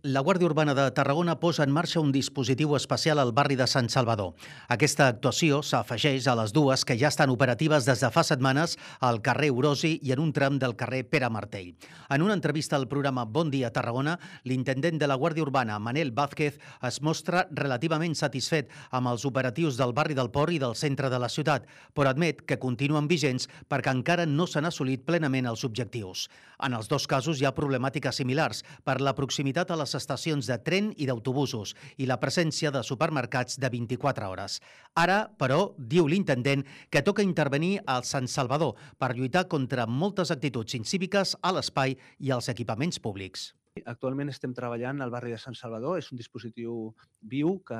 La Guàrdia Urbana de Tarragona posa en marxa un dispositiu especial al barri de Sant Salvador. Aquesta actuació s'afegeix a les dues que ja estan operatives des de fa setmanes al carrer Orosi i en un tram del carrer Pere Martell. En una entrevista al programa Bon Dia Tarragona, l'intendent de la Guàrdia Urbana, Manel Vázquez, es mostra relativament satisfet amb els operatius del barri del Port i del centre de la ciutat, però admet que continuen vigents perquè encara no s'han assolit plenament els objectius. En els dos casos hi ha problemàtiques similars per la proximitat a les estacions de tren i d'autobusos i la presència de supermercats de 24 hores. Ara, però, diu l'intendent que toca intervenir al Sant Salvador per lluitar contra moltes actituds incíviques a l'espai i als equipaments públics. Actualment estem treballant al barri de Sant Salvador. És un dispositiu viu que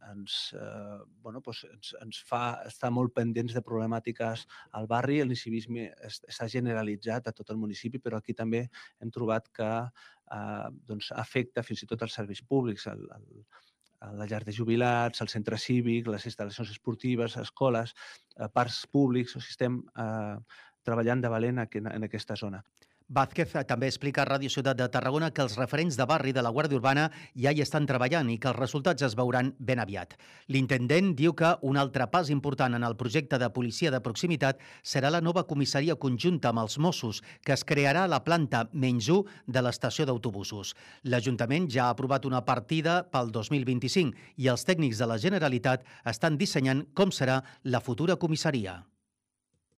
ens fa estar molt pendents de problemàtiques al barri. El nicivisme s'ha generalitzat a tot el municipi, però aquí també hem trobat que afecta fins i tot els serveis públics, la llar de jubilats, el centre cívic, les instal·lacions esportives, escoles, parcs públics. O sigui, estem treballant de valent en aquesta zona. Vázquez també explica a Ràdio Ciutat de Tarragona que els referents de barri de la Guàrdia Urbana ja hi estan treballant i que els resultats es veuran ben aviat. L'intendent diu que un altre pas important en el projecte de policia de proximitat serà la nova comissaria conjunta amb els Mossos, que es crearà a la planta -1 de l'estació d'autobusos. L'Ajuntament ja ha aprovat una partida pel 2025 i els tècnics de la Generalitat estan dissenyant com serà la futura comissaria.